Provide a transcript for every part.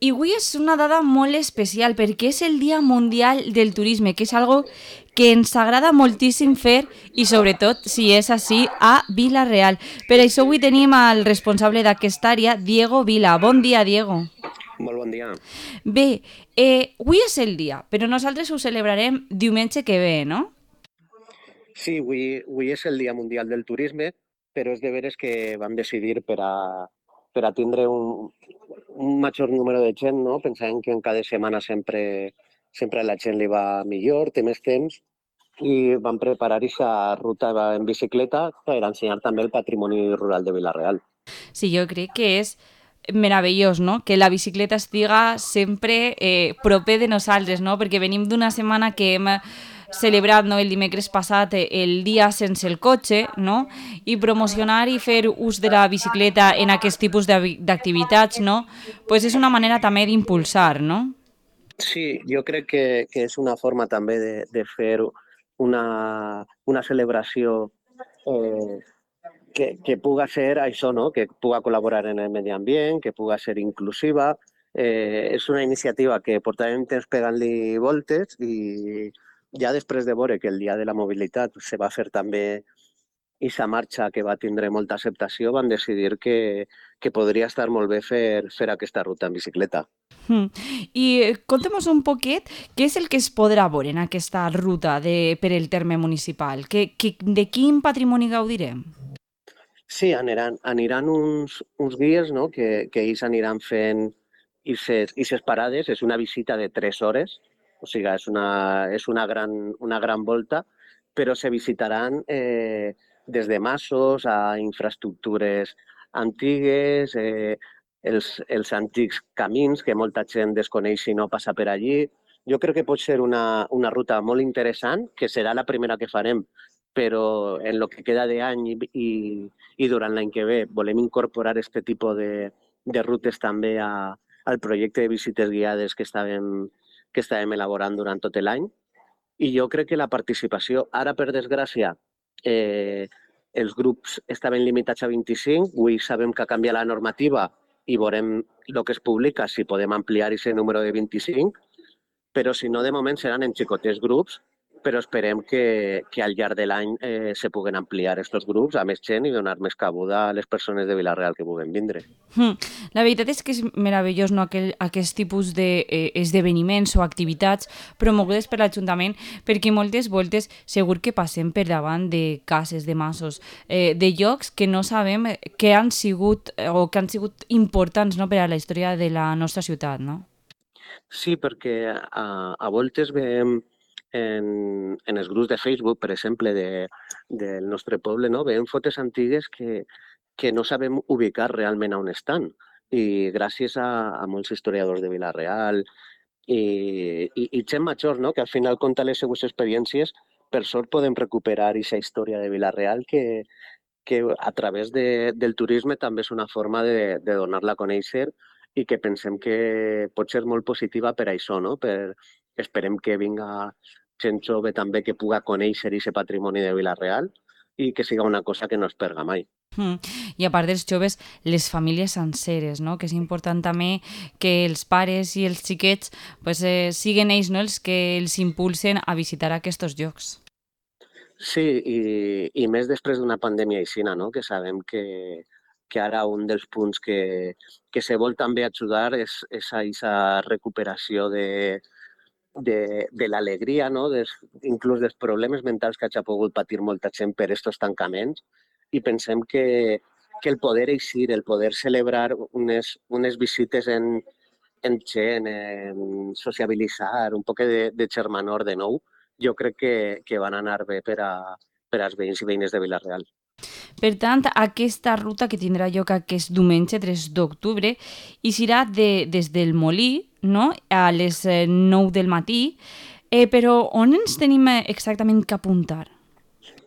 I avui és una dada molt especial perquè és el Dia Mundial del Turisme, que és algo que ens agrada moltíssim fer i sobretot, si és així, a Vila-real. Per això avui tenim al responsable d'aquesta àrea, Diego Vila. Bon dia, Diego. Molt bon dia. Bé, avui és el dia, però nosaltres ho celebrarem diumenge que ve, no? Sí, avui és el Dia Mundial del Turisme, però és de veres que vam decidir per a tindre un major número de gent, no? Pensàvem que en cada setmana sempre a la gent li va millor, té més temps, i vam preparar aquesta ruta en bicicleta per ensenyar també el patrimoni rural de Vila-real. Sí, jo crec que és meravellós, no? Que la bicicleta estiga sempre proper de nosaltres, no? Perquè venim d'una setmana que hem celebrat, no, el dimecres passat el dia sense el cotxe, no? I promocionar i fer ús de la bicicleta en aquest tipus d'activitats, no? Pues és una manera també d'impulsar, no? Sí, jo crec que és una forma també de fer una celebració eh, que puga ser això, no? Que puga col·laborar en el medi ambient, que puga ser inclusiva. És una iniciativa que portàvem temps pegant-li voltes i ja després de veure que el Dia de la Mobilitat se va fer també aquesta marxa que va tindre molta acceptació, van decidir que podria estar molt bé fer aquesta ruta en bicicleta. Mm. I conta'm un poquet què és el que es podrà veure en aquesta ruta per el terme municipal. De quin patrimoni gaudirem? Sí, aniran uns guies, no? Que ells aniran fent aquestes parades. És una visita de 3 hores, o sigui, és una gran volta, però se visitaran des de masos a infraestructures antigues, els antics camins que molta gent desconeix si no passa per allí. Jo crec que pot ser una ruta molt interessant, que serà la primera que farem, però en lo que queda d'any i durant l'any que ve volem incorporar aquest tipus de rutes també al projecte de visites guiades que estàvem elaborant durant tot l'any. I jo crec que la participació, ara per desgràcia, eh, els grups estaven limitats a 25, avui sabem que ha canviat la normativa i veurem el que es publica si podem ampliar aquest número de 25, però si no, de moment seran en xicotets grups, però esperem que al llarg de l'any se puguen ampliar aquests grups a més gent i donar més cabuda a les persones de Vila-real que puguen vindre. Mm. La veritat és que és meravellós, no, aquest tipus d'esdeveniments o activitats promogudes per l'Ajuntament, perquè moltes voltes segur que passem per davant de cases, de masos, de llocs que no sabem que han sigut o que han sigut importants, no, per a la història de la nostra ciutat, no? Sí, perquè a voltes veiem en els grups de Facebook, per exemple, del nostre poble, no? Veiem fotos antigues que no sabem ubicar realment on estan. I gràcies a molts historiadors de Vila-real i gent major, no? Que al final conta les seues experiències, per sort podem recuperar aquesta història de Vila-real que a través del turisme també és una forma de donar-la a conèixer i que pensem que pot ser molt positiva per això, no? Esperem que vinga gent jove també que puga conèixer aquest patrimoni de Vila-real i que siga una cosa que no es perga mai. Mm. I a part dels joves, les famílies senceres, no? Que és important també que els pares i els xiquets pues, siguen ells, no, els que els impulsen a visitar aquests llocs. Sí, i més després d'una pandèmia aixina, no? Que sabem que ara un dels punts que se vol també ajudar és a aquesta recuperació de l'alegria, no? Inclús dels problemes mentals que hagi pogut patir molta gent per aquests tancaments. I pensem que el poder eixir, el poder celebrar unes visites en gent, en sociabilitzar, un poc de germanor de nou, jo crec que van anar bé per als veïns i veïnes de Vila-real. Per tant, aquesta ruta que tindrà lloc aquest diumenge 3 d'octubre i serà des del Molí, no?, a les 9 del matí, però on ens tenim exactament que apuntar?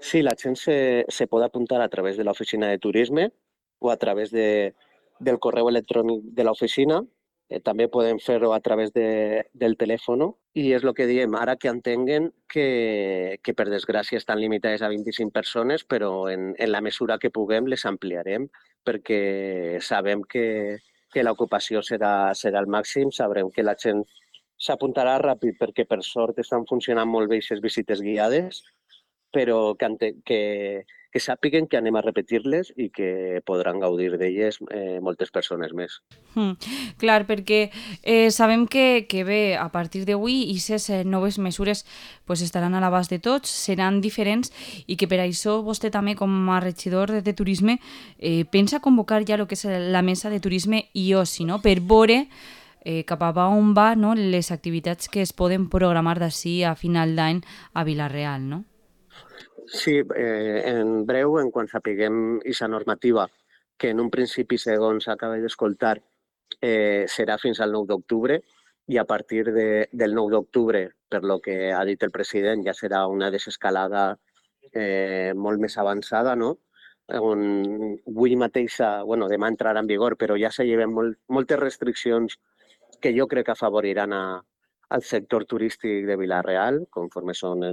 Sí, la gent se pot apuntar a través de l'oficina de turisme o a través del correu electrònic de l'oficina. També podem fer-ho a través del telèfon. I és el que diem, ara que entenguen que per desgràcia estan limitades a 25 persones, però en la mesura que puguem les ampliarem perquè sabem que l'ocupació serà el màxim, sabrem que la gent s'apuntarà ràpid perquè per sort estan funcionant molt bé aquestes visites guiades, però que sàpiguen que anem a repetir-les i que podran gaudir d'elles moltes persones més. Clar, perquè sabem que bé, a partir d'avui, aquestes noves mesures pues, estaran a l'abast de tots, seran diferents i que per això vostè també, com a regidor de turisme, pensa convocar ja el que és la mesa de turisme i oci, no? Per veure cap a on va, no? Les activitats que es poden programar d'ací a final d'any a Vila-real, no? Sí, en breu, en quan sapiguem aquesta normativa, que en un principi, segons acaba d'escoltar, serà fins al 9 d'octubre, i a partir del 9 d'octubre, per lo que ha dit el president, ja serà una desescalada molt més avançada, no? On avui mateixa, bueno, demà entrarà en vigor, però ja se lleven moltes restriccions que jo crec que afavoriran al sector turístic de Vila-real, conforme són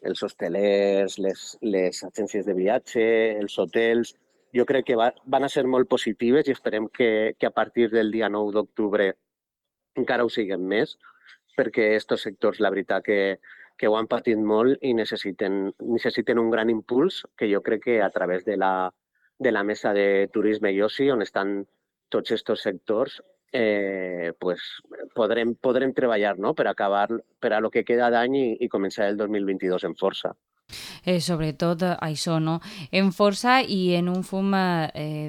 els hostelers, les agències de viatge, els hotels. Jo crec que van a ser molt positives i esperem que a partir del dia 9 d'octubre encara ho siguin més, perquè aquests sectors, la veritat, que ho han patit molt i necessiten un gran impuls, que jo crec que a través de la mesa de turisme i oci, on estan tots aquests sectors, pues, podrem treballar, no?, per acabar per a lo que queda d'any i començar el 2022 en força. Sobretot això, no? En força i en un fum,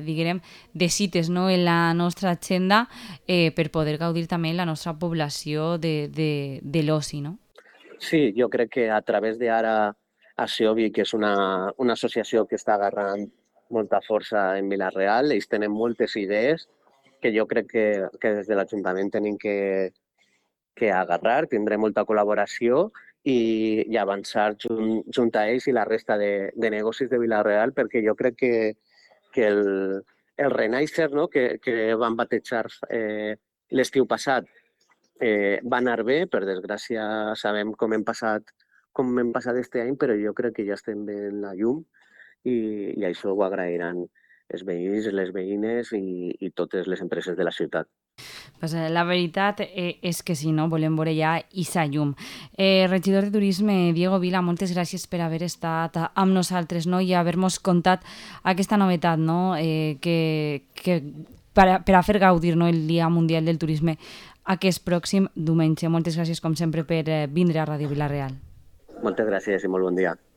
diguem, de cites, no?, en la nostra agenda per poder gaudir també la nostra població de l'oci, no? Sí, jo crec que a través d'ara Aseobi, que és una associació que està agarrant molta força en Vila-real, ells tenen moltes idees que jo crec que des de l'Ajuntament tenim que agarrar, tindrem molta col·laboració i avançar junt a ells i la resta de negocis de Vila-real, perquè jo crec que el Renaixer, no?, que van batejar l'estiu passat, va anar bé. Per desgràcia sabem com hem passat este any, però jo crec que ja estem veient la llum i això ho agrairan els veïns, les veïnes i totes les empreses de la ciutat. Pues, la veritat és que sí, no? Volem veure ja Issa llum. Regidor de Turisme, Diego Vila, moltes gràcies per haver estat amb nosaltres, no?, i haver-nos contat aquesta novetat, no?, que per a fer gaudir, no?, el Dia Mundial del Turisme aquest pròxim diumenge. Moltes gràcies, com sempre, per vindre a Ràdio Vila-real. Moltes gràcies i molt bon dia.